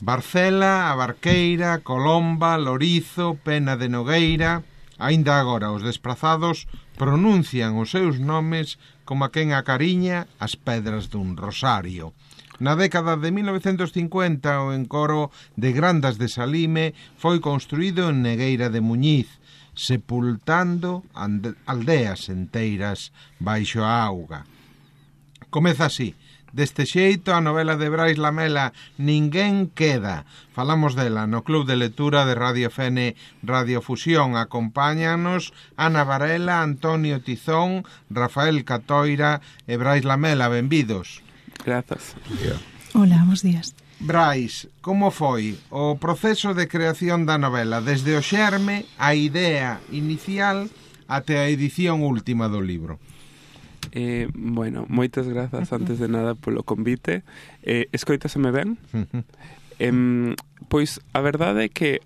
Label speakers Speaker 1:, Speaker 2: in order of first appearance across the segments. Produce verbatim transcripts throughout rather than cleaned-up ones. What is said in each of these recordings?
Speaker 1: Barcela, a Barqueira, Colomba, Lorizo, Pena de Nogueira. Aínda agora os desprazados pronuncian os seus nomes como a quen acariña as pedras dun rosario. Na década de mil novecentos cincuenta, o encoro de Grandas de Salime foi construído en Negueira de Muñiz, sepultando aldeas enteiras baixo a auga. Comeza así. Deste xeito, a novela de Brais Lamela Ninguén queda. Falamos dela no Club de Lectura de Radio F N Radiofusión. Acompáñanos Ana Varela, Antonio Tizón, Rafael Catoira e Brais Lamela. Benvidos.
Speaker 2: Grazas.
Speaker 3: Hola, bons días.
Speaker 1: Brais, como foi o proceso de creación da novela desde o xerme, a idea inicial até a edición última do libro?
Speaker 2: Eh, bueno, moitas grazas antes de nada polo convite. Eh, escoitaseme ben? eh, pois a verdade é que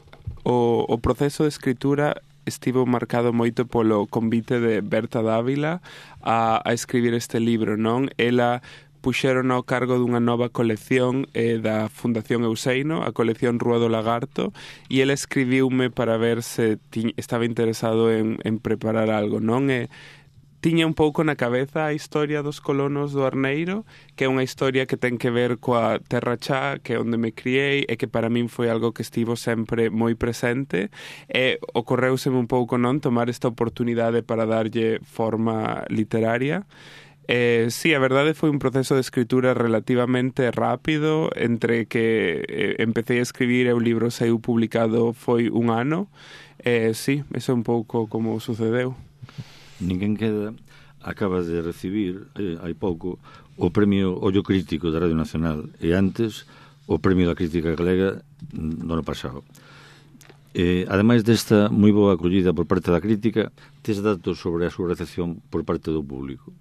Speaker 2: o, o proceso de escritura estivo marcado moito polo convite de Berta Dávila a, a escribir este libro, non? Ela puxeron ao cargo dunha nova colección eh, da Fundación Euseino, a colección Rúa do Lagarto, e ela escribiume para ver se ti, estaba interesado en, en preparar algo, non? E tiña un pouco na cabeza a historia dos colonos do Arneiro, que é unha historia que ten que ver coa Terra Chá, que é onde me criei, e que para min foi algo que estivo sempre moi presente, e ocorreuseme un pouco non tomar esta oportunidade para darlle forma literaria. Eh, sí, a verdade foi un proceso de escritura relativamente rápido, entre que eh, empecé a escribir e o libro saiu publicado foi un ano. Eh, sí, eso é un pouco como sucedeu.
Speaker 4: Ninguén queda acaba de recibir eh, hai pouco o premio Ollo Crítico da Radio Nacional e antes o premio da Crítica Galega do ano pasado. Eh, ademais desta moi boa acollida por parte da crítica, tes datos sobre a súa recepción por parte do público?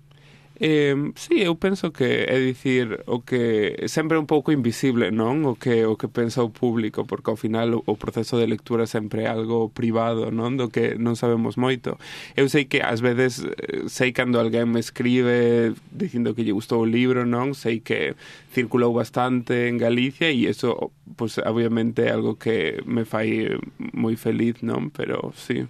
Speaker 2: Eh, sí, eu penso que é dicir o que sempre é un pouco invisible, non? O que o que pensa o público, porque ao final o, o proceso de lectura sempre é algo privado, non? Do que non sabemos moito. Eu sei que ás veces sei cando alguén me escribe dicindo que lle gustou o libro, non? Sei que circulou bastante en Galicia e eso, pues, obviamente é algo que me fai moi feliz, non? Pero sí.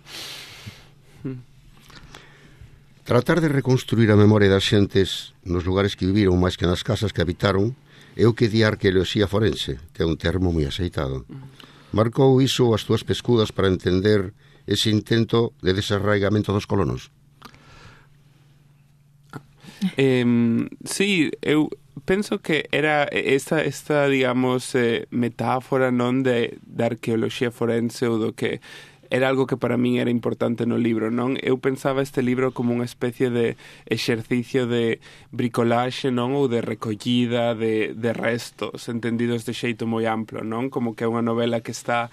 Speaker 5: Tratar de reconstruir a memoria das xentes nos lugares que viviron máis que nas casas que habitaron é o que di a arqueoloxía forense, que é un termo moi aceitado. Marcou iso as túas pescudas para entender ese intento de desarraigamento dos colonos?
Speaker 2: Eh, sí, eu penso que era esta, esta digamos, eh, metáfora non de, de arqueoloxía forense ou do que era algo que para min era importante no libro, non? Eu pensaba este libro como unha especie de exercicio de bricolaxe, non? Ou de recollida de, de restos, entendidos de xeito moi amplo, non? Como que é unha novela que está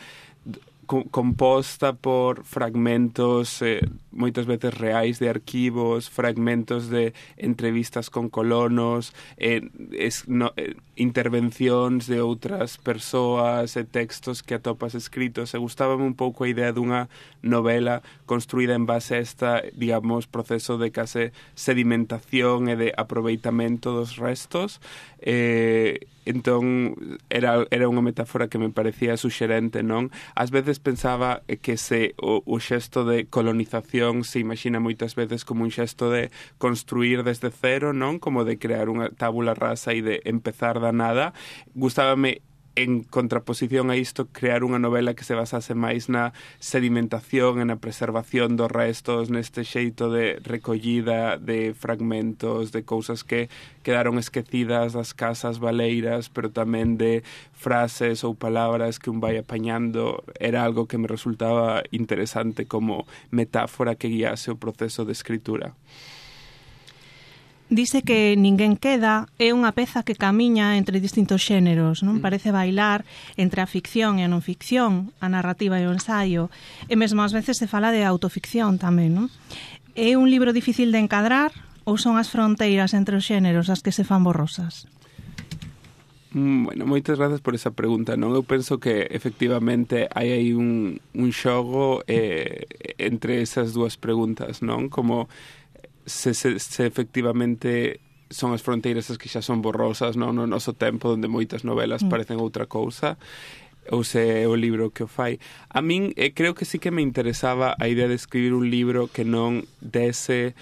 Speaker 2: composta por fragmentos eh, moitas veces reais de arquivos, fragmentos de entrevistas con colonos, eh, es, no, eh, intervencións de outras persoas e textos que atopas escritos. E gustábame un pouco a idea dunha novela construída en base a esta, digamos, proceso de case sedimentación e de aproveitamento dos restos. Eh, entón era, era unha metáfora que me parecía suxerente, non? Ás veces pensaba que se o, o xesto de colonización se imagina moitas veces como un xesto de construir desde cero, non? Como de crear unha tábula rasa e de empezar da nada. Gustábame en contraposición a isto, crear unha novela que se basase máis na sedimentación e na preservación dos restos, neste xeito de recollida de fragmentos, de cousas que quedaron esquecidas das casas baleiras, pero tamén de frases ou palabras que un vai apañando. Era algo que me resultaba interesante como metáfora que guiase o proceso de escritura.
Speaker 3: Dice que Ninguén queda é unha peza que camiña entre distintos xéneros, non? Parece bailar entre a ficción e a non ficción, a narrativa e o ensaio, e mesmo ás veces se fala de autoficción tamén, non? É un libro difícil de encadrar ou son as fronteiras entre os xéneros as que se fan borrosas?
Speaker 2: Bueno, moitas grazas por esa pregunta, non? Eu penso que efectivamente hai aí un, un xogo eh, entre esas dúas preguntas, non? Como se, se, se efectivamente son as fronteiras as que xa son borrosas, non, no noso tempo, onde moitas novelas mm. parecen outra cousa, ou se é o libro que o fai. A min eh, creo que sí que me interesaba a idea de escribir un libro que non dese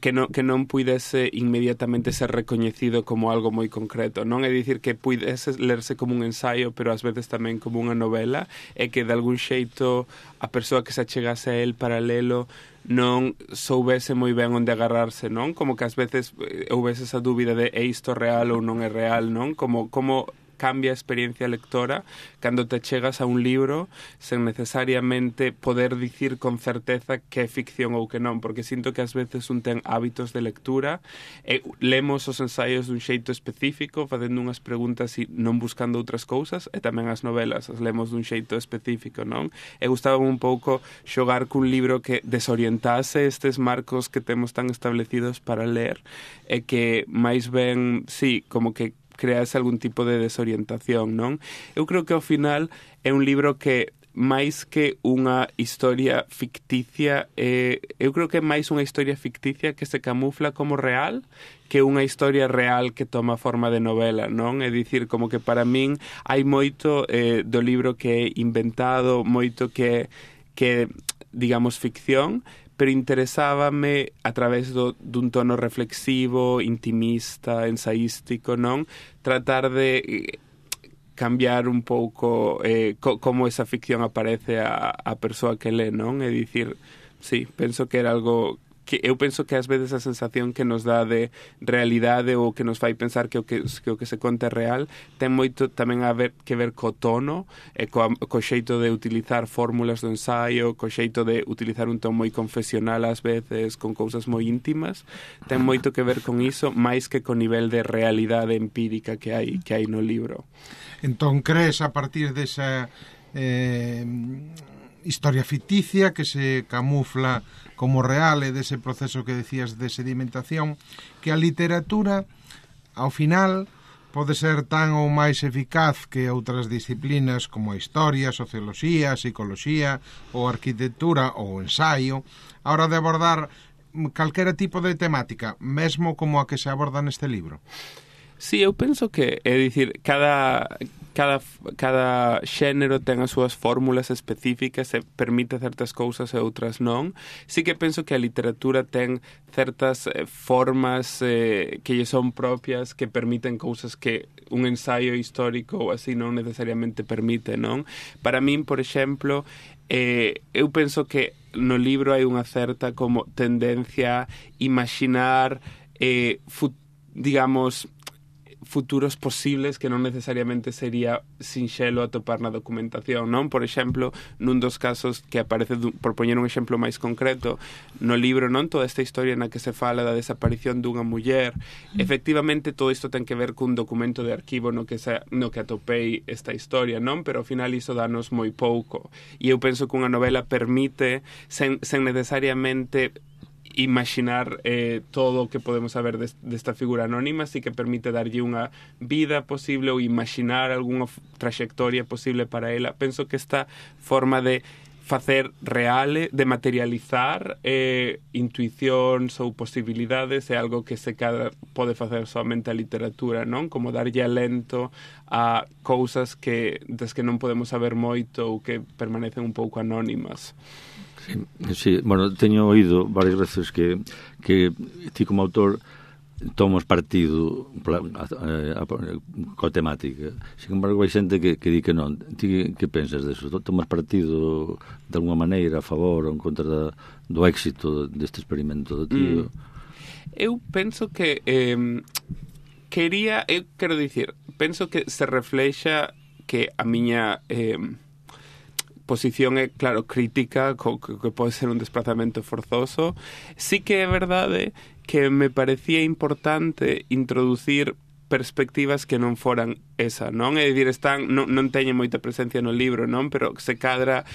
Speaker 2: que non, que non puidese inmediatamente ser recoñecido como algo moi concreto, non? É dicir, que puidese lerse como un ensaio, pero ás veces tamén como unha novela, e que de algún xeito a persoa que se achegase a el paralelo non soubese moi ben onde agarrarse, non? Como que ás veces houvese esa dúbida de é isto real ou non é real, non? Como, como cambia a experiencia lectora cando te chegas a un libro sen necesariamente poder dicir con certeza que é ficción ou que non, porque sinto que ás veces un ten hábitos de lectura e lemos os ensaios dun xeito específico, facendo unhas preguntas e non buscando outras cousas, e tamén as novelas as lemos dun xeito específico, non? E gustaba un pouco xogar cun libro que desorientase estes marcos que temos tan establecidos para ler, e que máis ben, sí, como que crease algún tipo de desorientación, non? Eu creo que ao final é un libro que máis que unha historia ficticia, eh, eu creo que é máis unha historia ficticia que se camufla como real que unha historia real que toma forma de novela, non? É dicir, como que para min hai moito eh, do libro que é inventado, moito que que digamos ficción, pero interesábame a través do, dun tono reflexivo, intimista, ensaístico, non? Tratar de cambiar un pouco eh, co, como esa ficción aparece a, a persoa que lê, non? É dicir, sí, penso que era algo que eu penso que ás veces a sensación que nos dá de realidade ou que nos fai pensar que o que, que, o que se conta é real ten moito tamén a ver, que ver co tono e co, co xeito de utilizar fórmulas do ensaio, co xeito de utilizar un ton moi confesional ás veces, con cousas moi íntimas, ten moito que ver con iso máis que co nivel de realidade empírica que hai, que hai no libro.
Speaker 1: Entón, crees a partir desa eh, historia ficticia que se camufla como real e dese proceso que decías de sedimentación, que a literatura, ao final, pode ser tan ou máis eficaz que outras disciplinas como a historia, a socioloxía, a psicoloxía, ou a arquitectura ou o ensaio, a hora de abordar calquera tipo de temática, mesmo como a que se aborda neste libro.
Speaker 2: Sí, eu penso que, é dicir, cada, cada, cada xénero ten as súas fórmulas específicas e permite certas cousas e outras non. Sí que penso que a literatura ten certas eh, formas eh, que lle son propias, que permiten cousas que un ensaio histórico ou así non necesariamente permite, non? Para min, por exemplo, eh, eu penso que no libro hai unha certa como tendencia a imaginar eh, fut, digamos, futuros posibles que non necesariamente sería sinxelo atopar na documentación, non? Por exemplo, nun dos casos que aparece, por poñer un exemplo máis concreto, no libro, non? Toda esta historia na que se fala da desaparición dunha muller, mm. efectivamente todo isto ten que ver cun documento de arquivo no que, se, no que atopei esta historia, non? Pero ao final iso danos moi pouco. E eu penso que unha novela permite, sen, sen necesariamente imaginar eh, todo o que podemos saber des, desta figura anónima, sí que permite darlle unha vida posible ou imaginar algunha trayectoria posible para ela. Penso que esta forma de facer reale, de materializar eh, intuicións ou posibilidades é algo que se cada pode facer somente a literatura, non? Como darlle alento a cousas que das que non podemos saber moito ou que permanecen un pouco anónimas.
Speaker 4: Sí, bueno, teño oído varias veces que, que ti como autor tomas partido pra, a, a, a, coa temática. Sin embargo, hai xente que, que di que non. Ti que pensas deso? Tomas partido de alguma maneira a favor ou en contra da, do éxito deste experimento do tío?
Speaker 2: Mm. Eu penso que eh, quería, eu quero dicir, penso que se reflexa que a miña eh, posición é, claro, crítica, co, que pode ser un desplazamento forzoso. Sí que é verdade que me parecía importante introducir perspectivas que non foran esa, non? É dicir, están, non, non teñen moita presencia no libro, non? Pero se cadra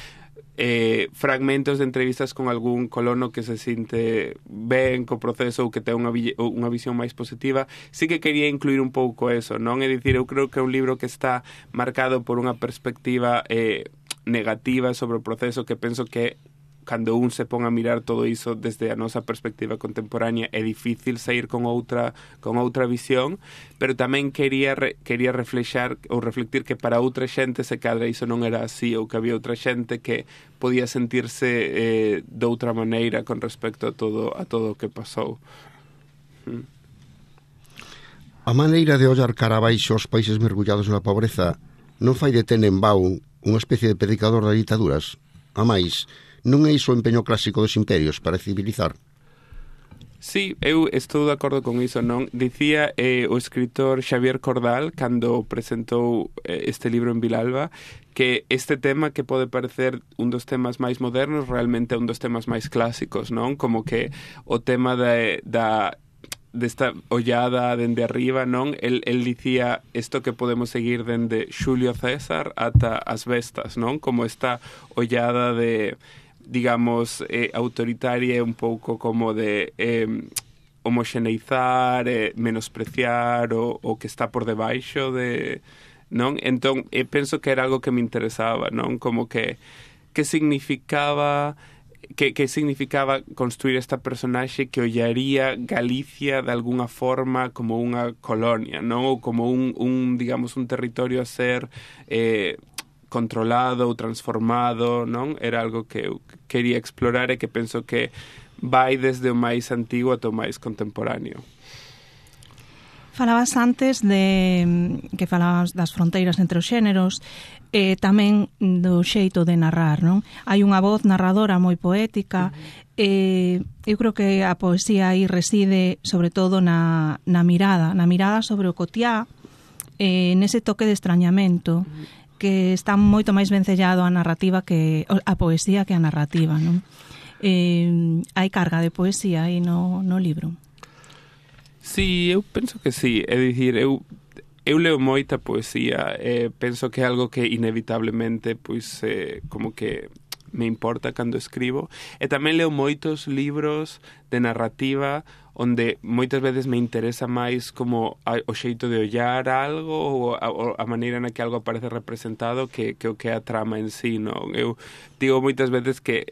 Speaker 2: eh, fragmentos de entrevistas con algún colono que se sinte ben co proceso ou que ten unha, unha visión máis positiva. Sí que quería incluir un pouco eso, non? É dicir, eu creo que é un libro que está marcado por unha perspectiva eh, negativa sobre o proceso que penso que cando un se pon a mirar todo iso desde a nosa perspectiva contemporánea é difícil sair con outra con outra visión, pero tamén quería re, quería reflexar ou reflectir que para outra xente se cadra iso non era así, ou que había outra xente que podía sentirse eh, de outra maneira con respecto a todo a todo o que pasou. Mm.
Speaker 5: A maneira de ollar cara abaixo aos países mergullados na pobreza non fai de Tenenbaum unha especie de predicador das ditaduras? A máis, non é iso o empeño clásico dos imperios para civilizar?
Speaker 2: Sí, eu estou de acordo con iso, non? Dicía eh, o escritor Xavier Cordal, cando presentou eh, este libro en Vilalba, que este tema que pode parecer un dos temas máis modernos realmente é un dos temas máis clásicos, non? Como que o tema de, da desta ollada dende arriba, non? El, el dicía isto que podemos seguir dende Xulio César ata as bestas, non? Como esta ollada de, digamos, eh, autoritaria, un pouco como de eh, homoxeneizar, eh, menospreciar o, o que está por debaixo de, non? Entón, eh, penso que era algo que me interesaba, non? Como que que significaba que, que significaba construir esta personaxe que ollaría Galicia de alguna forma como unha colonia, non? Ou como un, un digamos, un territorio a ser eh, controlado ou transformado, non? Era algo que eu quería explorar e que penso que vai desde o máis antigo ata o máis contemporáneo.
Speaker 3: Falabas antes de que falabas das fronteiras entre os xéneros, e tamén do xeito de narrar, non? Hai unha voz narradora moi poética, uh-huh. e eu creo que a poesía aí reside sobre todo na, na mirada, na mirada sobre o cotiá, e nese toque de extrañamento, uh-huh. que está moito máis vencellado a narrativa que a poesía que a narrativa, non? Eh, hai carga de poesía aí no, no libro.
Speaker 2: Sí, eu penso que sí, é dicir, eu eu leo moita poesía, eh, penso que é algo que inevitablemente pois eh, como que me importa cando escribo, e tamén leo moitos libros de narrativa onde moitas veces me interesa máis como a, o xeito de ollar algo ou a, a maneira na que algo aparece representado que, que o que é a trama en sí, non? Eu digo moitas veces que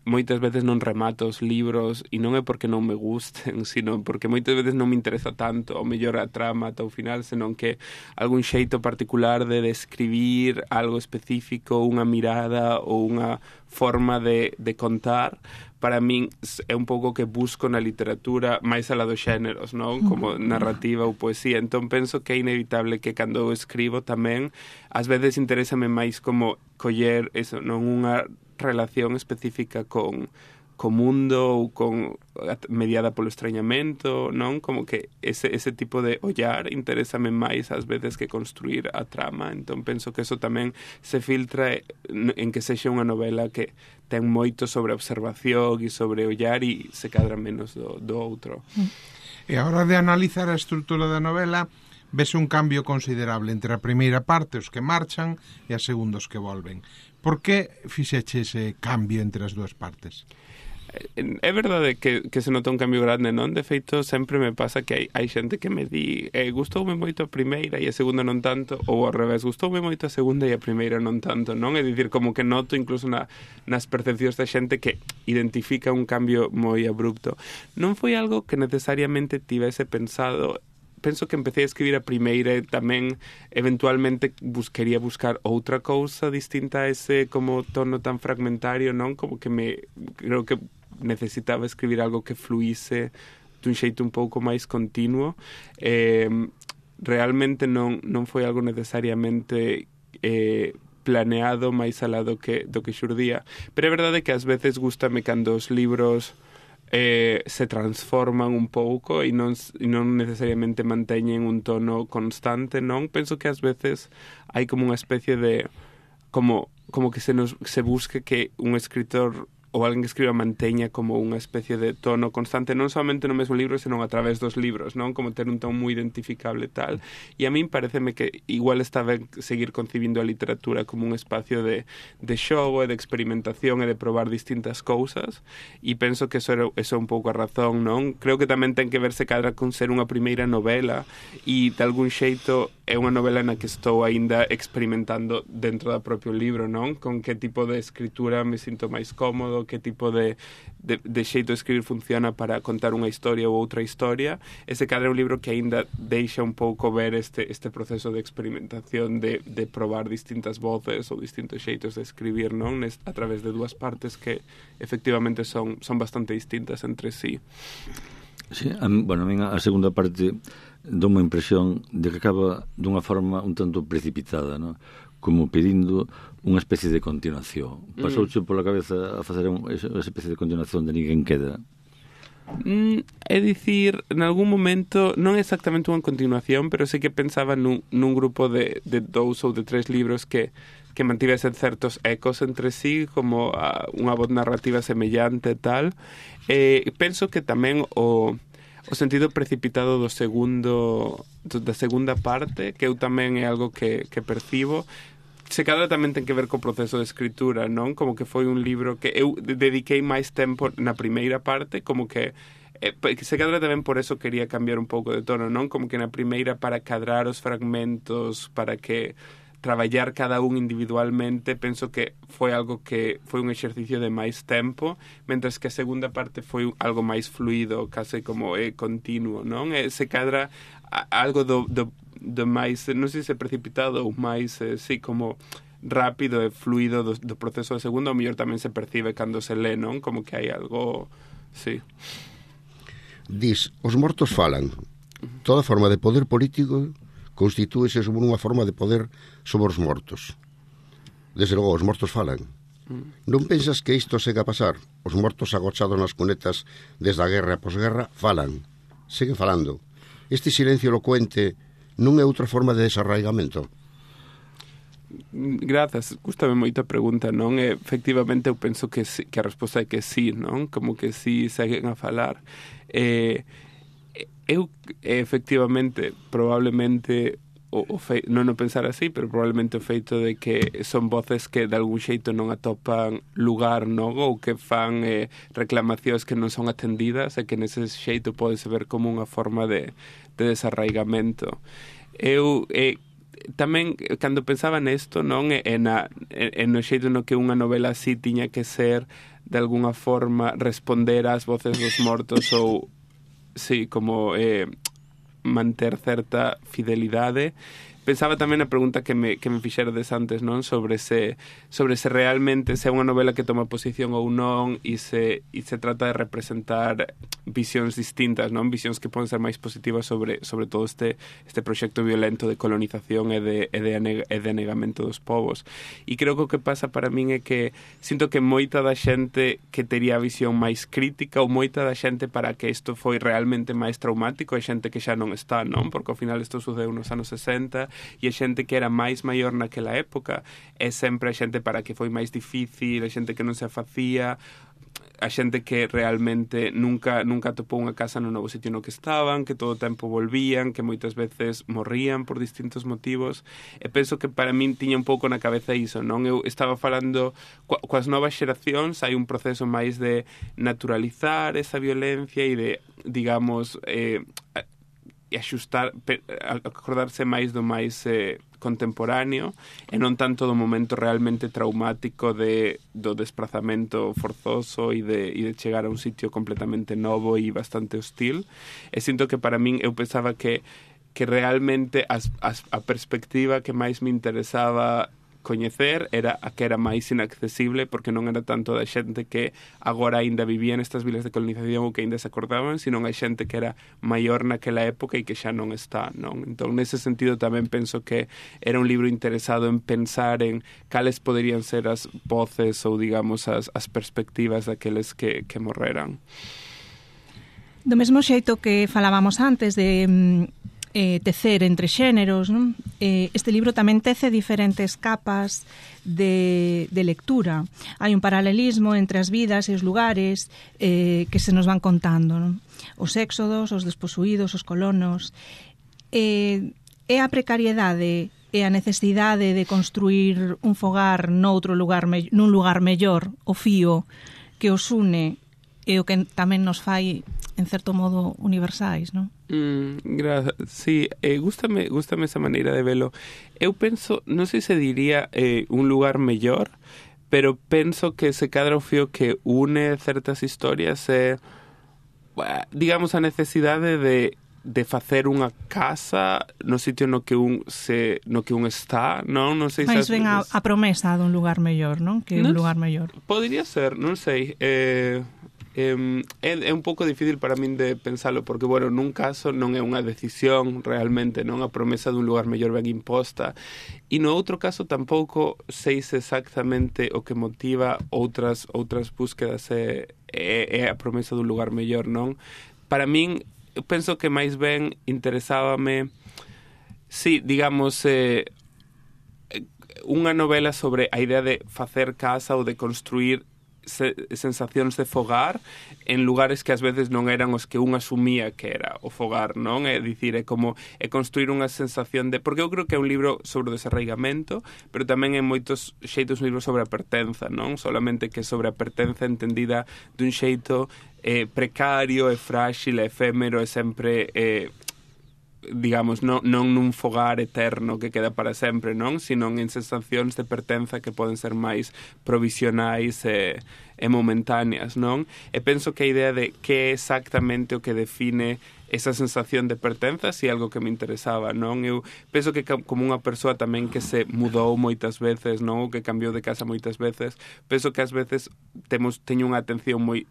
Speaker 2: moitas veces non remato os libros e non é porque non me gusten, sino porque moitas veces non me interesa tanto o mellor a trama ata o final, senón que algún xeito particular de describir algo específico, unha mirada ou unha forma de, de contar, para min é un pouco que busco na literatura máis alá dos xéneros, non? Como narrativa ou poesía. Entón penso que é inevitable que cando eu escribo tamén ás veces interésame máis como coller eso, non unha relación específica con co mundo ou con mediada polo extrañamento, non? Como que ese, ese tipo de ollar interésame máis ás veces que construir a trama. Entón penso que eso tamén se filtra en que sexa unha novela que ten moito sobre observación e sobre ollar e se cadra menos do, do outro.
Speaker 1: E a hora de analizar a estrutura da novela, vese un cambio considerable entre a primeira parte, os que marchan, e a segunda, os que volven. Por que fixeche ese cambio entre as dúas partes?
Speaker 2: É verdade que, que se nota un cambio grande, non? De feito, sempre me pasa que hai, hai xente que me di eh, gustoume moito a primeira e a segunda non tanto, ou ao revés, gustoume moito a segunda e a primeira non tanto, non? É dicir, como que noto incluso na, nas percepcións da xente que identifica un cambio moi abrupto. Non foi algo que necesariamente tivese pensado. Penso que empecé a escribir a primeira e tamén eventualmente buscaría buscar outra cousa distinta a ese como tono tan fragmentario, non? Como que me creo que necesitaba escribir algo que fluíse dun xeito un pouco máis continuo. Eh, realmente non, non foi algo necesariamente eh, planeado máis alá do que, do que xurdía. Pero é verdade que ás veces gústame cando os libros eh, se transforman un pouco e non, e non necesariamente manteñen un tono constante, non? Penso que ás veces hai como unha especie de como, como que se, nos, se busque que un escritor ou alguén que escriba manteña como unha especie de tono constante, non somente no mesmo libro, senón a través dos libros, non? Como ter un tono moi identificable tal. E a min pareceme que igual está ben seguir concibindo a literatura como un espacio de, de xogo e de experimentación e de probar distintas cousas, e penso que eso, era, eso é un pouco a razón, non? Creo que tamén ten que verse cadra con ser unha primeira novela e de algún xeito é unha novela na que estou aínda experimentando dentro do propio libro, non? Con que tipo de escritura me sinto máis cómodo, estilo, que tipo de, de, de xeito de escribir funciona para contar unha historia ou outra historia. E se cadra é un libro que aínda deixa un pouco ver este, este proceso de experimentación, de, de probar distintas voces ou distintos xeitos de escribir, non? A través de dúas partes que efectivamente son, son bastante distintas entre sí.
Speaker 4: Sí, a, bueno, a mí a segunda parte dou unha impresión de que acaba dunha forma un tanto precipitada, ¿no? Como pedindo unha especie de continuación. Pasouche mm. pola cabeza a facer un, esa especie de continuación de Ninguén Queda?
Speaker 2: Mm, é dicir, en algún momento, non exactamente unha continuación, pero sí que pensaba nun, nun grupo de, de dous ou de tres libros que, que mantivesen certos ecos entre sí, como a, unha voz narrativa semellante e tal. Eh, penso que tamén o... o sentido precipitado do segundo do, da segunda parte, que eu tamén é algo que, que percibo, se cadra tamén ten que ver co proceso de escritura, non? Como que foi un libro que eu dediquei máis tempo na primeira parte, como que eh, se cadra tamén por eso quería cambiar un pouco de tono, non? Como que na primeira para cadrar os fragmentos, para que traballar cada un individualmente, penso que foi algo que foi un exercicio de máis tempo, mentras que a segunda parte foi algo máis fluido, case como é continuo, non? E se cadra a, algo do, do, do máis, non sei se precipitado ou máis, eh, sí, como rápido e fluido do, do proceso de segundo, ao mellor tamén se percibe cando se lé, non? Como que hai algo, sí.
Speaker 5: Dis, os mortos falan. Toda forma de poder político constitúese sobre unha forma de poder sobre os mortos. Desde logo, os mortos falan. Mm. Non pensas que isto sega a pasar? Os mortos agochados nas cunetas desde a guerra e a posguerra falan. Seguen falando. Este silencio elocuente non é outra forma de desarraigamento?
Speaker 2: Grazas, gustame moito a pregunta, non? E, efectivamente, eu penso que, sí, que a resposta é que sí, non? Como que sí seguen a falar. Eh, eu, efectivamente, probablemente o, o fe, non o pensar así, pero probablemente o feito de que son voces que de algún xeito non atopan lugar, non? Ou que fan eh, reclamacións que non son atendidas e que nese xeito podese ver como unha forma de, de desarraigamento. Eu eh, tamén, cando pensaba nesto, non? E, na, e, no xeito no que unha novela así tiña que ser de alguna forma responder ás voces dos mortos ou sí, como eh, manter certa fidelidade. Pensaba tamén na pregunta que me, que me fixerades antes, non? Sobre se, sobre se realmente se é unha novela que toma posición ou non e se, e se trata de representar visións distintas, non? Visións que poden ser máis positivas sobre, sobre todo este, este proxecto violento de colonización e de, e, de aneg, e de anegamento dos povos. E creo que o que pasa para min é que sinto que moita da xente que tería a visión máis crítica ou moita da xente para que isto foi realmente máis traumático é xente que xa non está, non? Porque ao final isto sucedeu nos anos sesenta e a xente que era máis maior naquela época é sempre a xente para que foi máis difícil, a xente que non se afacía, a xente que realmente nunca nunca atopou unha casa no novo sitio no que estaban, que todo o tempo volvían, que moitas veces morrían por distintos motivos. E penso que para min tiña un pouco na cabeza iso, non? Eu estaba falando co, coas novas xeracións, hai un proceso máis de naturalizar esa violencia e de, digamos, eh, e axustar, acordarse máis do máis eh, contemporáneo e non tanto do momento realmente traumático de, do desprazamento forzoso e de, e de chegar a un sitio completamente novo e bastante hostil. E sinto que para min, eu pensaba que, que realmente as, as, a perspectiva que máis me interesaba coñecer era a que era máis inaccesible porque non era tanto da xente que agora aínda vivía nestas vilas de colonización ou que aínda se acordaban, sino a xente que era maior naquela época e que xa non está, non? Entón, nese sentido tamén penso que era un libro interesado en pensar en cales poderían ser as voces ou, digamos, as, as perspectivas daqueles que, que morreran.
Speaker 3: Do mesmo xeito que falábamos antes de eh, tecer entre xéneros, non? Eh, este libro tamén tece diferentes capas de, de lectura. Hai un paralelismo entre as vidas e os lugares eh, que se nos van contando, non? Os éxodos, os desposuídos, os colonos. Eh, é a precariedade e a necesidade de construir un fogar noutro lugar, nun lugar mellor, o fío que os une e o que tamén nos fai, en certo modo, universais, non?
Speaker 2: Mm, gracias. Sí, eh, gústame, gústame esa maneira de velo. Eu penso, non sei se diría eh, un lugar mellor, pero penso que se cadra o fío que une certas historias é, digamos, a necesidade de de facer unha casa no sitio no que un se no que un está, non? Non sei se
Speaker 3: máis ben a, a promesa dun lugar mellor, non? Que un lugar mellor.
Speaker 2: Podería ser, non sei. Eh, eh, é, é un pouco difícil para min de pensalo, porque, bueno, nun caso non é unha decisión realmente, non? A promesa dun lugar mellor ben imposta. E no outro caso tampouco sei se exactamente o que motiva outras outras búsquedas é, é, é a promesa dun lugar mellor, non? Para min, eu penso que máis ben interesábame, sí, digamos, eh, unha novela sobre a idea de facer casa ou de construir se, sensacións de fogar en lugares que ás veces non eran os que un asumía que era o fogar, non? É dicir, é como é construir unha sensación de... Porque eu creo que é un libro sobre o desarraigamento, pero tamén en moitos xeitos un libro sobre a pertenza, non? Solamente que sobre a pertenza entendida dun xeito eh, precario, e frágil, e efémero, e sempre... Eh, digamos, non, non nun fogar eterno que queda para sempre, non? Sino en sensacións de pertenza que poden ser máis provisionais e, e momentáneas, non? E penso que a idea de que é exactamente o que define esa sensación de pertenza si é algo que me interesaba, non? Eu penso que como unha persoa tamén que se mudou moitas veces, non? Ou que cambiou de casa moitas veces, penso que ás veces temos teño unha atención moi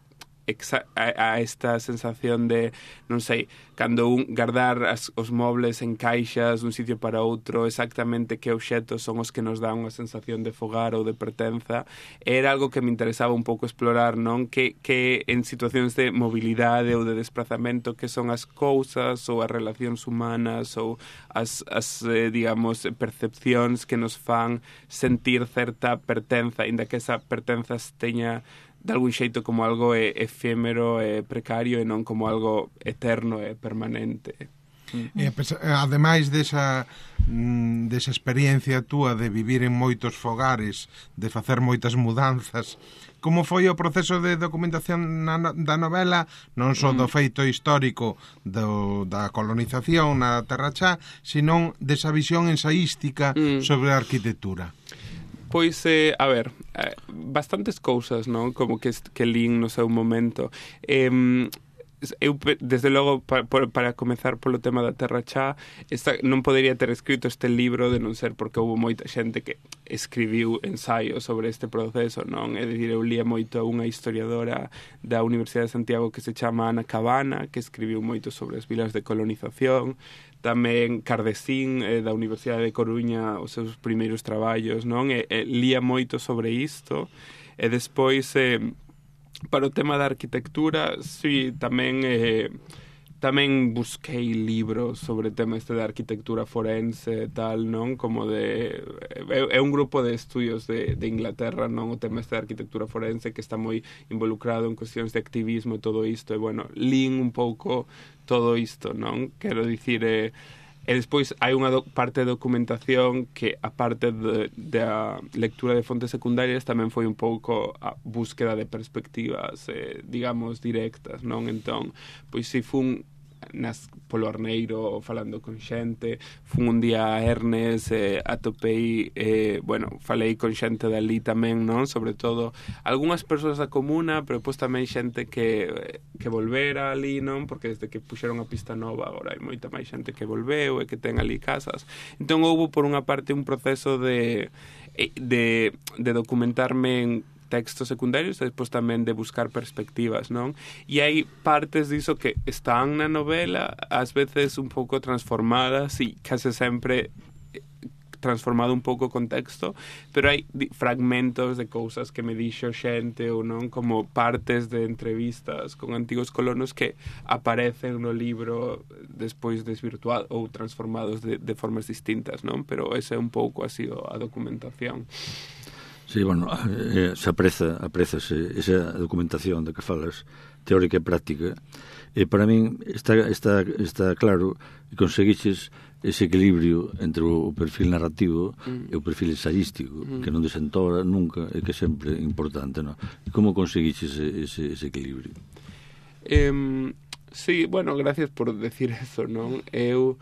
Speaker 2: a, a esta sensación de, non sei, cando un guardar as, os mobles en caixas dun sitio para outro, exactamente que obxetos son os que nos dan unha sensación de fogar ou de pertenza, era algo que me interesaba un pouco explorar, non? Que, que en situacións de mobilidade ou de desplazamento, que son as cousas ou as relacións humanas ou as, as eh, digamos, percepcións que nos fan sentir certa pertenza, inda que esa pertenza teña de algún xeito como algo e, efémero e precario e non como algo eterno e permanente.
Speaker 1: E, ademais desa, desa experiencia túa de vivir en moitos fogares, de facer moitas mudanzas, como foi o proceso de documentación na, da novela, non só do feito histórico do, da colonización na Terra Chá, senón desa visión ensaística mm. sobre a arquitectura?
Speaker 2: Pois, eh, a ver, eh, bastantes cousas, non? Como que, que lín no seu momento. Eh, eu, desde logo, para, para comezar polo tema da Terra Chá, esta, non podería ter escrito este libro de non ser porque houve moita xente que escribiu ensaios sobre este proceso, non? É dicir, eu lía moito unha historiadora da Universidade de Santiago que se chama Ana Cabana, que escribiu moito sobre as vilas de colonización. Tamén Cardesín, eh, da Universidade de Coruña, os seus primeiros traballos, non? E, e lía moito sobre isto. E despois, eh, para o tema da arquitectura, sí, tamén... Eh, tamén busquei libros sobre o tema este de arquitectura forense e tal, non? Como de... É, é un grupo de estudios de, de Inglaterra, non? O tema este de arquitectura forense que está moi involucrado en cuestións de activismo e todo isto. E, bueno, lín un pouco todo isto, non? Quero dicir... Eh, e despois hai unha do, parte de documentación que, a parte da lectura de fontes secundarias, tamén foi un pouco a búsqueda de perspectivas, eh, digamos, directas, non? Entón, pois si fun nas, polo Arneiro falando con xente, fun un día a Ernest, eh, atopei, eh, bueno, falei con xente dali tamén, non? Sobre todo, algunhas persoas da comuna, pero pois tamén xente que, que volvera ali, non? Porque desde que puxeron a pista nova, agora hai moita máis xente que volveu e que ten ali casas. Entón, houve por unha parte un proceso de, de, de documentarme en textos secundarios e despois tamén de buscar perspectivas, non? E hai partes diso que están na novela, ás veces un pouco transformadas e case sempre transformado un pouco o contexto, pero hai fragmentos de cousas que me dixo xente ou non, como partes de entrevistas con antigos colonos que aparecen no libro despois desvirtuados ou transformados de, de formas distintas, non? Pero ese é un pouco así a documentación.
Speaker 4: Sí, bueno, eh, se apreza, aprezase esa documentación de que falas, teórica e práctica, e para min está, está, está claro que conseguiches ese equilibrio entre o perfil narrativo mm. e o perfil ensaístico, mm. que non desentora nunca e que é sempre importante, non? E como conseguiches ese, ese, ese equilibrio?
Speaker 2: Eh, sí, bueno, gracias por decir eso, non? Eu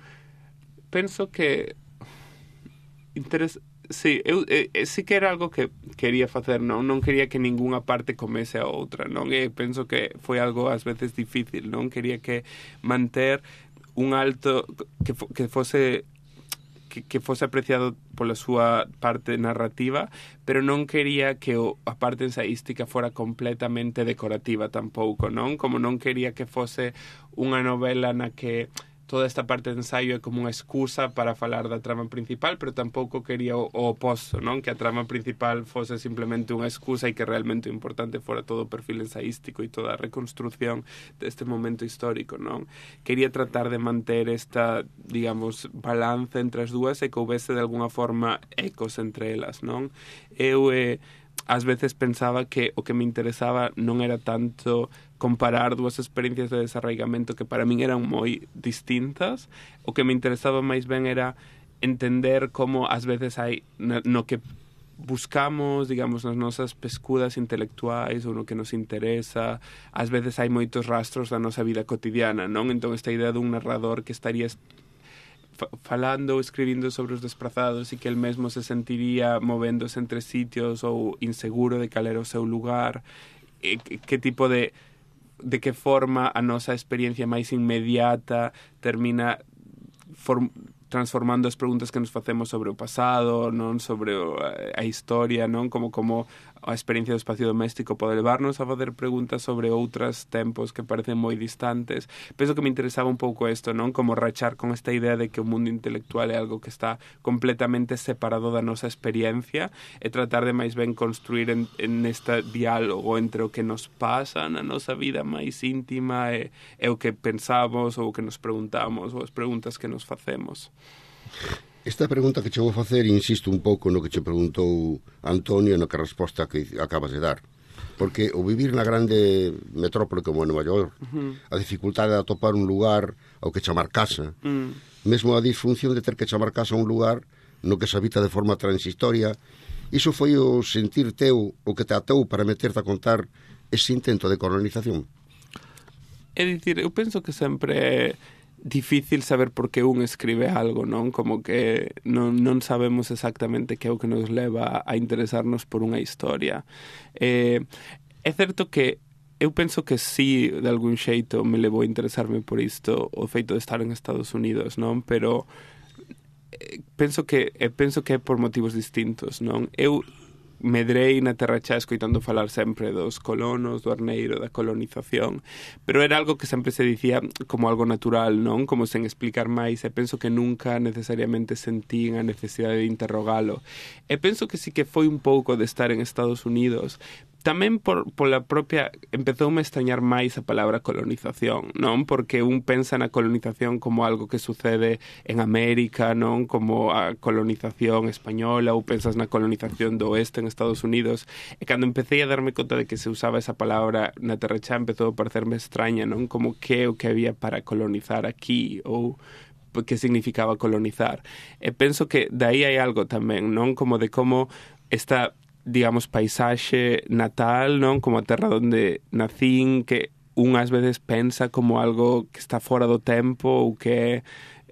Speaker 2: penso que interes... Sí, eu, eu, sí que era algo que quería facer, non? Non quería que ningunha parte comese a outra, non? E penso que foi algo ás veces difícil, non? Quería que manter un alto, que, fo, que fose que, que fose apreciado pola súa parte narrativa, pero non quería que o, a parte ensaística fora completamente decorativa tampouco, non? Como non quería que fose unha novela na que toda esta parte de ensaio é como unha excusa para falar da trama principal, pero tampouco quería o, o oposto, non? Que a trama principal fose simplemente unha excusa e que realmente o importante fora todo o perfil ensaístico e toda a reconstrucción deste momento histórico, non? Quería tratar de manter esta, digamos, balance entre as dúas e que houvese de alguna forma ecos entre elas, non? Eu, eh, ás veces pensaba que o que me interesaba non era tanto comparar dúas experiencias de desarraigamento que para min eran moi distintas. O que me interesaba máis ben era entender como ás veces hai no que buscamos, digamos, nas nosas pescudas intelectuais ou no que nos interesa, ás veces hai moitos rastros da nosa vida cotidiana, non? Entón esta idea dun narrador que estaría falando ou escribindo sobre os desprazados e que el mesmo se sentiría movéndose entre sitios ou inseguro de cal era o seu lugar, e que tipo de de que forma a nosa experiencia máis inmediata termina form, transformando as preguntas que nos facemos sobre o pasado, non, sobre o, a historia, non, como como a experiencia do espacio doméstico pode levarnos a fazer preguntas sobre outros tempos que parecen moi distantes. Penso que me interesaba un pouco isto, non, como rachar con esta idea de que o mundo intelectual é algo que está completamente separado da nosa experiencia e tratar de máis ben construir en, en este diálogo entre o que nos pasa na nosa vida máis íntima e, e o que pensamos ou o que nos preguntamos ou as preguntas que nos facemos.
Speaker 5: Esta pregunta que che vou facer, insisto un pouco no que che preguntou Antonio e no que a resposta que acabas de dar. Porque o vivir na grande metrópole como Nova York, uh-huh. a dificultade de atopar un lugar ao que chamar casa, uh-huh. mesmo a disfunción de ter que chamar casa a un lugar no que se habita de forma transitoria, iso foi o sentir teu, o que te atou para meterte a contar ese intento de colonización?
Speaker 2: É dicir, eu penso que sempre é difícil saber por que un escribe algo, non? Como que non, non sabemos exactamente que é o que nos leva a interesarnos por unha historia. Eh, é certo que eu penso que sí, de algún xeito, me levou a interesarme por isto o feito de estar en Estados Unidos, non? Pero eh, penso que eh, penso que é por motivos distintos, non? Eu medrei na Terra Chá escoitando falar sempre dos colonos, do arneiro, da colonización, pero era algo que sempre se dicía como algo natural, non? Como sen explicar máis, e penso que nunca necesariamente sentín a necesidade de interrogalo. E penso que sí que foi un pouco de estar en Estados Unidos, tamén por, por la propia, empezoume a extrañar máis a palabra colonización, non? Porque un pensa na colonización como algo que sucede en América, non? Como a colonización española, ou pensas na colonización do oeste en Estados Unidos, e cando empecé a darme conta de que se usaba esa palabra na Terra Chá, empezou a parecerme extraña, non? Como que o que había para colonizar aquí, ou que significaba colonizar. E penso que daí hai algo tamén, non? Como de como esta, digamos, paisaxe natal, non? Como a terra onde nacín, que unhas veces pensa como algo que está fora do tempo ou que é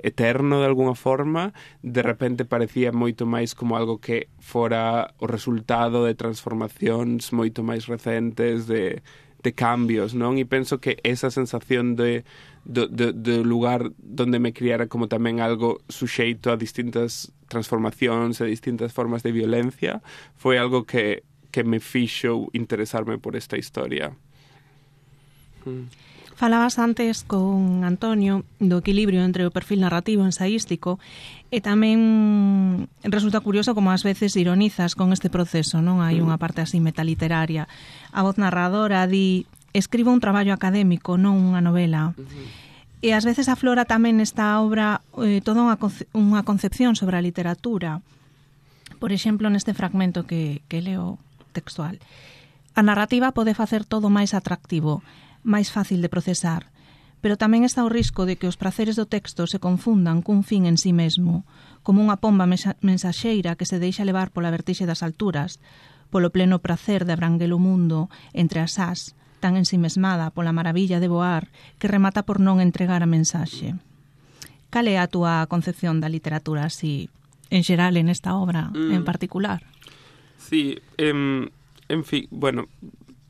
Speaker 2: eterno de alguna forma, de repente parecía moito máis como algo que fora o resultado de transformacións moito máis recentes, de, de cambios, non? E penso que esa sensación de do, do, do lugar donde me criara como tamén algo suxeito a distintas transformacións e distintas formas de violencia foi algo que, que me fixo interesarme por esta historia. Mm.
Speaker 3: Falabas antes con Antonio do equilibrio entre o perfil narrativo ensaístico e tamén resulta curioso como ás veces ironizas con este proceso, non? Hai unha parte así metaliteraria. A voz narradora di: escribo un traballo académico, non unha novela. Uh-huh. E ás veces aflora tamén nesta obra eh, toda unha, conce- unha concepción sobre a literatura. Por exemplo, neste fragmento que, que leo textual. A narrativa pode facer todo máis atractivo, máis fácil de procesar, pero tamén está o risco de que os praceres do texto se confundan cun fin en sí mesmo, como unha pomba mensaxeira que se deixa levar pola vertixe das alturas, polo pleno pracer de abranguer o mundo entre as ás, tan ensimesmada pola maravilla de voar que remata por non entregar a mensaxe. Cal é a túa concepción da literatura así en xeral en esta obra mm. en particular.
Speaker 2: Sí, eh, en fin, bueno,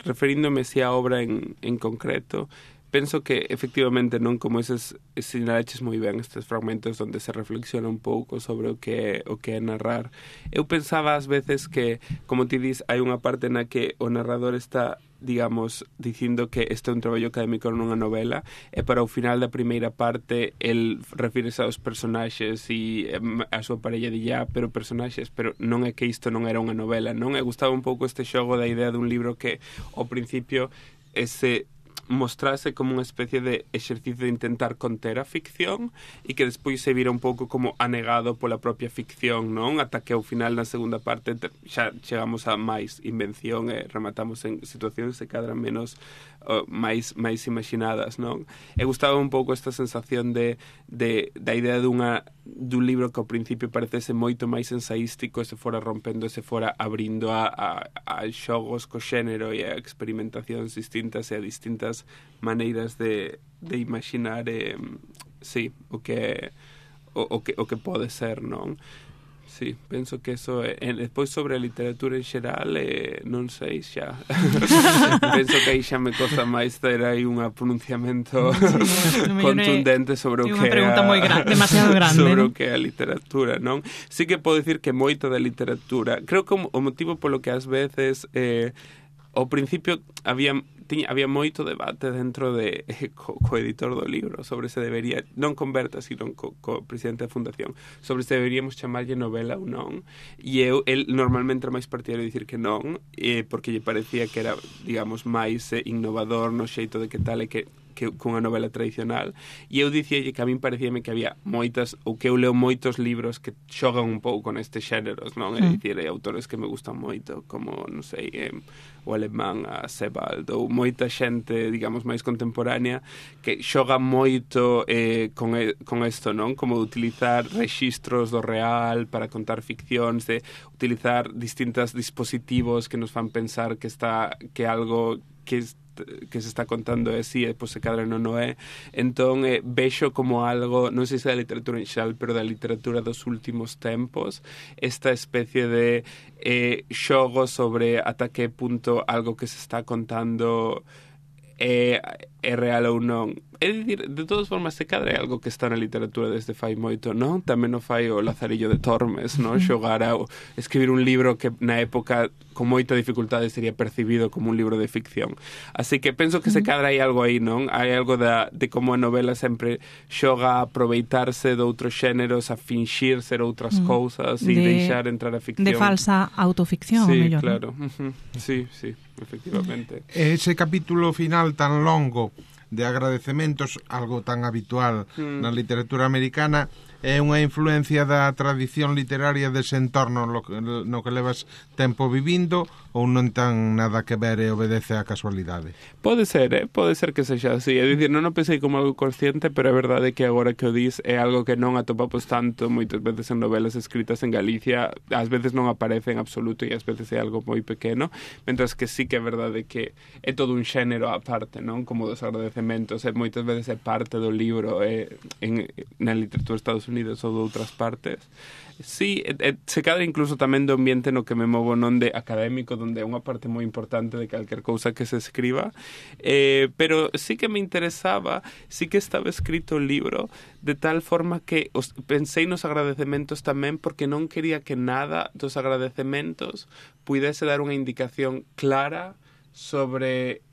Speaker 2: referíndome si a obra en, en concreto, penso que efectivamente non como eses sinalaches moi ben estes fragmentos onde se reflexiona un pouco sobre o que o que é narrar. Eu pensaba ás veces que, como ti dis, hai unha parte na que o narrador está, digamos, dicindo que este é un traballo académico nunha novela e para o final da primeira parte el refírese aos personaxes e a súa parella de ya, pero personaxes, pero non é que isto non era unha novela, non? E gustaba un pouco este xogo da idea dun libro que ao principio ese mostrase como unha especie de exercicio de intentar conter a ficción e que despois se vira un pouco como anegado pola propia ficción, non? Ata que ao final na segunda parte xa chegamos a máis invención e rematamos en situacións que cadran menos uh, máis máis imaginadas, non? E gustaba un pouco esta sensación de, de da idea dunha dun libro que ao principio parecese moito máis ensaístico e se fora rompendo e se fora abrindo a, a, a xogos co xénero e a experimentacións distintas e a distintas maneiras de, de imaginar eh, sí, o que o, o que o que pode ser, non? Sí, penso que eso é, e despois sobre a literatura en xeral eh, non sei xa penso que aí xa me costa máis ter aí un pronunciamento sí, contundente sobre o que é unha
Speaker 3: pregunta moi gra- demasiado grande
Speaker 2: sobre
Speaker 3: ¿no?
Speaker 2: o que é a literatura, non? Sí que podo dicir que moito da literatura, creo que o motivo polo que ás veces eh, ao principio había tiña, había moito debate dentro de eh, co, co editor do libro sobre se debería, non con Berta, sino co, co presidente da fundación, sobre se deberíamos chamarlle novela ou non, e eu, el normalmente era máis partidario de dicir que non, eh, porque lle parecía que era, digamos, máis eh, innovador no xeito de que tal e que que cunha novela tradicional, e eu dicíalle que a min parecíame que había moitas, ou que eu leo moitos libros que xogan un pouco nestes xéneros, non? É
Speaker 3: Mm.
Speaker 2: dicir, hai autores que me gustan moito, como, non sei, eh, o alemán, a Sebald, ou moita xente, digamos, máis contemporánea, que xoga moito eh, con, e, con isto, non? Como de utilizar rexistros do real para contar ficcións, de utilizar distintos dispositivos que nos fan pensar que está que algo que que se está contando é así e depois se cadra non o é. Entón eh, vexo como algo, non sei se da literatura en xeral, pero da literatura dos últimos tempos, esta especie de eh, xogo sobre ata que punto algo que se está contando é, é real ou non. É dicir, de todas formas, se cadra é algo que está na literatura desde fai moito, non? Tamén o fai o Lazarillo de Tormes, non? Xogar a escribir un libro que na época con moita dificultade sería percibido como un libro de ficción. Así que penso que se cadra hai algo aí, non? Hai algo da, de como a novela sempre xoga a aproveitarse de outros xéneros, a finxir ser outras mm. cousas e de, deixar entrar a ficción.
Speaker 3: De falsa autoficción,
Speaker 2: sí,
Speaker 3: mellor.
Speaker 2: Claro. Uh-huh. Sí, sí, efectivamente.
Speaker 1: Ese capítulo final tan longo de agradecementos, algo tan habitual mm. na literatura americana, é unha influencia da tradición literaria dese entorno no que, no que levas tempo vivindo, ou non tan nada que ver e obedece á casualidade?
Speaker 2: Pode ser, eh? Pode ser que sexa así. É dicir, non o pensei como algo consciente, pero é verdade que agora que o dis é algo que non atopamos tanto moitas veces en novelas escritas en Galicia. Ás veces non aparece en absoluto e ás veces é algo moi pequeno, mentras que sí que é verdade que é todo un xénero aparte, non? Como dos agradecementos, e moitas veces é parte do libro eh, en, na literatura de Estados Unidos ou de outras partes. Sí, e, e, se cadra incluso tamén do ambiente no que me movo, non de académico, onde é unha parte moi importante de calquer cousa que se escriba, eh, pero sí que me interesaba, sí que estaba escrito o libro de tal forma que os, pensei nos agradecementos tamén, porque non quería que nada dos agradecementos puidese dar unha indicación clara sobre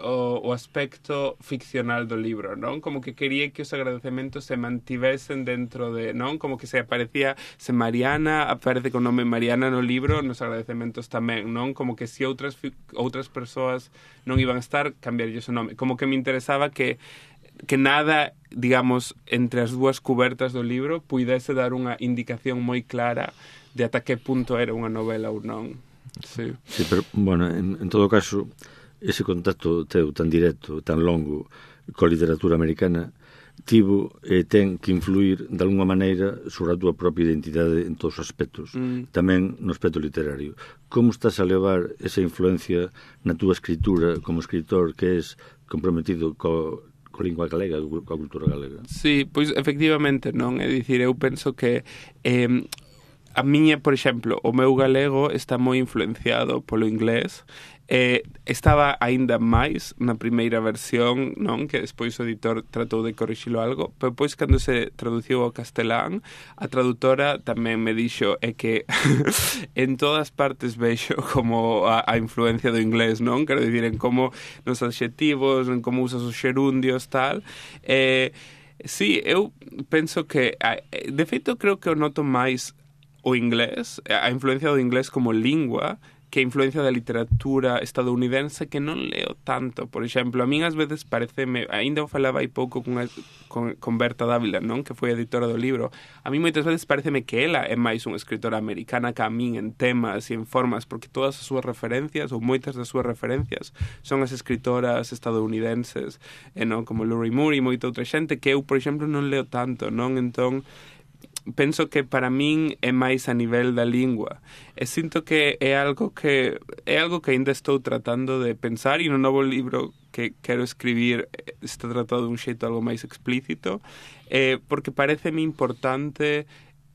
Speaker 2: O, o aspecto ficcional do libro, non? Como que quería que os agradecementos se mantivesen dentro de, non? Como que se aparecía, se Mariana aparece con nome Mariana no libro, nos agradecementos tamén, non? Como que se outras outras persoas non iban a estar, cambiarlle o nome. Como que me interesaba que que nada, digamos, entre as dúas cubertas do libro puidese dar unha indicación moi clara de ata que punto era unha novela ou non. Sí,
Speaker 4: sí, pero, bueno, en, en todo caso, ese contacto teu tan directo, tan longo coa literatura americana tivo e ten que influir de alguma maneira sobre a túa propia identidade en todos os aspectos, mm. tamén no aspecto literario. Como estás a levar esa influencia na túa escritura como escritor que és comprometido co coa lingua galega, coa cultura galega?
Speaker 2: Sí, pois efectivamente non, é dicir, eu penso que eh, a miña, por exemplo, o meu galego está moi influenciado polo inglés. Eh, estaba aínda máis na primeira versión, non, que despois o editor tratou de corrixilo algo, pero pois cando se traduciu ao castelán, a traductora tamén me dixo é que en todas partes vexo como a, a influencia do inglés, non? Quero dicir, en como nos adxetivos, en como usas os xerundios, tal. Eh, sí, eu penso que, de feito, creo que o noto máis o inglés, a influencia do inglés como lingua, que a influencia da literatura estadounidense que non leo tanto. Por exemplo, a min ás veces pareceme, ainda o falaba hai pouco con, con, con Berta Dávila, non, que foi a editora do libro, a mí moitas veces pareceme que ela é máis unha escritora americana que a min en temas e en formas, porque todas as súas referencias, ou moitas das súas referencias, son as escritoras estadounidenses, e non, como Lori Moore e moita outra xente, que eu, por exemplo, non leo tanto, non? Entón, penso que para min é máis a nivel da lingua. E sinto que é algo que é algo que ainda estou tratando de pensar, e no novo libro que quero escribir está tratado de un xeito algo máis explícito, eh, porque pareceme importante,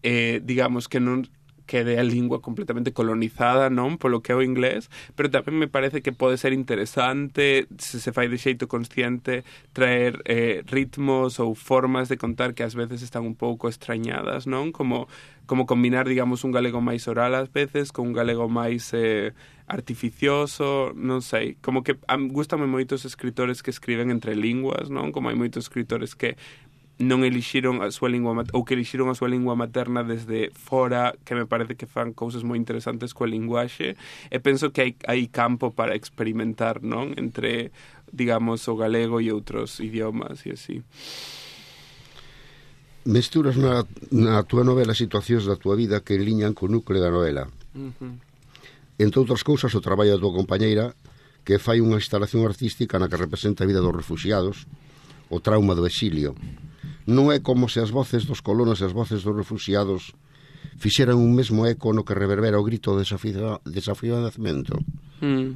Speaker 2: eh, digamos, que non quede a lingua completamente colonizada, non, polo que é o inglés, pero tamén me parece que pode ser interesante, se se fai de xeito consciente, traer eh, ritmos ou formas de contar que ás veces están un pouco extrañadas, non? Como, como combinar, digamos, un galego máis oral ás veces con un galego máis eh, artificioso, non sei, como que gustame moitos escritores que escriben entre linguas, non? Como hai moitos escritores que non elixiron a súa lingua ou que elixiron a súa lingua materna desde fora, que me parece que fan cousas moi interesantes coa linguaxe, e penso que hai, hai campo para experimentar, non? Entre, digamos, o galego e outros idiomas e así.
Speaker 5: Mesturas na, na túa novela situacións da túa vida que enliñan co núcleo da novela.
Speaker 2: Uh-huh.
Speaker 5: Entre outras cousas, o traballo da túa compañeira, que fai unha instalación artística na que representa a vida dos refugiados, o trauma do exilio. Non é como se as voces dos colonos e as voces dos refugiados fixeran un mesmo eco no que reverbera o grito de desafío, desafío de nacemento.
Speaker 2: Mm.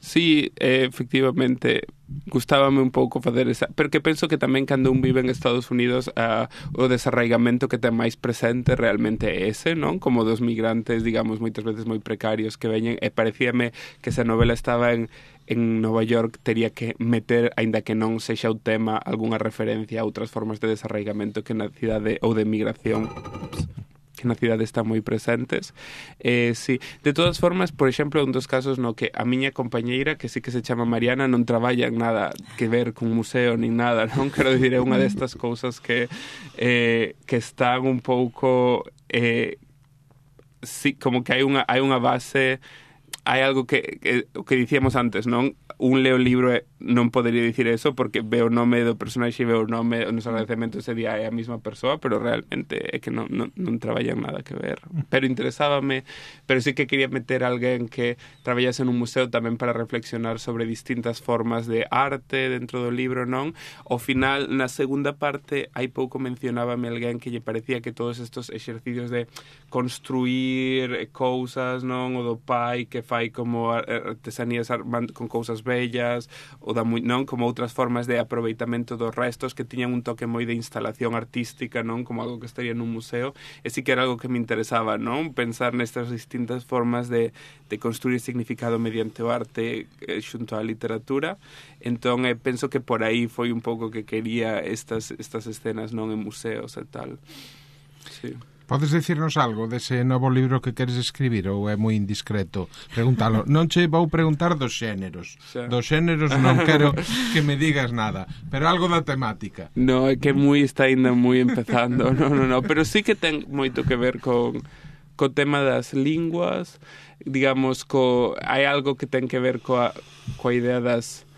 Speaker 2: Sí, eh, efectivamente, gustábame un pouco facer esa, porque penso que tamén cando un vive en Estados Unidos uh, o desarraigamento que ten máis presente realmente é ese, non? Como dos migrantes, digamos, moitas veces moi precarios que veñen, e parecíame que esa novela estaba en en Nova York, tería que meter, aínda que non sexa o tema, algunha referencia a outras formas de desarraigamento que na cidade ou de migración ups, que na cidade están moi presentes. Eh, sí. De todas formas, por exemplo, un dos casos no que a miña compañeira, que sí que se chama Mariana, non traballa en nada que ver con museo nin nada, non? Quero dicir, é unha destas cousas que eh, que están un pouco eh, sí, como que hai unha hai unha base, hai algo que, que o que dicíamos antes, non? Un leo libro e non podería dicir eso porque veo o nome do personaxe e veo o nome nos agradecementos ese día é a mesma persoa, pero realmente é que non, non, non traballan nada que ver. Pero interesábame, pero sí que quería meter a alguén que traballase nun museo tamén para reflexionar sobre distintas formas de arte dentro do libro, non? Ao final, na segunda parte, hai pouco mencionábame alguén que lle parecía que todos estos exercicios de construir cousas, non? O do pai que fai como artesanías con cousas bellas, ou da, non, como outras formas de aproveitamento dos restos que tiñan un toque moi de instalación artística, non, como algo que estaría nun museo, e sí que era algo que me interesaba, non, pensar nestas distintas formas de, de construir significado mediante o arte eh, xunto á literatura. Entón, eh, penso que por aí foi un pouco que quería estas, estas escenas, non, en museos e tal. Sí.
Speaker 1: Podes dicirnos algo dese novo libro que queres escribir ou é moi indiscreto preguntalo? Non che vou preguntar dos xéneros. Xa. Dos xéneros non quero que me digas nada, pero algo da temática.
Speaker 2: No, é que moi está ainda moi empezando. No, no, no, pero sí que ten moito que ver con co tema das linguas, digamos, co hai algo que ten que ver coa coa idea das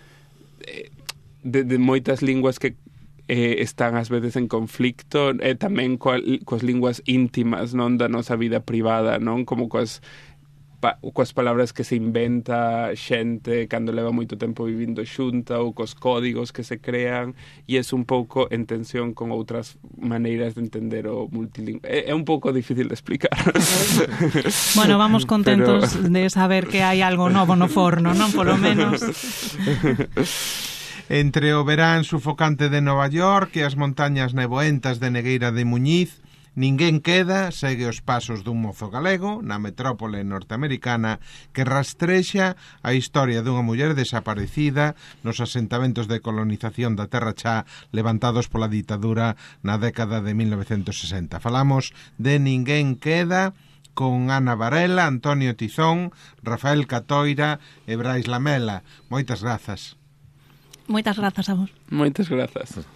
Speaker 2: de, de moitas linguas que Eh, están ás veces en conflicto, e eh, tamén coa, coas linguas íntimas, non, da nosa vida privada, non, como coas pa, coas palabras que se inventa xente cando leva moito tempo vivindo xunta, ou cos códigos que se crean, e é un pouco en tensión con outras maneiras de entender o multilingüe. É, é un pouco difícil de explicar.
Speaker 3: Bueno, vamos contentos Pero... de saber que hai algo novo no forno, non, polo menos.
Speaker 1: Entre o verán sufocante de Nova York e as montañas neboentas de Negueira de Muñiz, Ninguén queda segue os pasos dun mozo galego na metrópole norteamericana que rastrexa a historia dunha muller desaparecida nos asentamentos de colonización da Terra Chá levantados pola ditadura na década de mil novecentos sesenta. Falamos de Ninguén queda con Ana Varela, Antonio Tizón, Rafael Catoira e Brais Lamela. Moitas grazas.
Speaker 3: Moitas grazas a vos.
Speaker 2: Moitas grazas.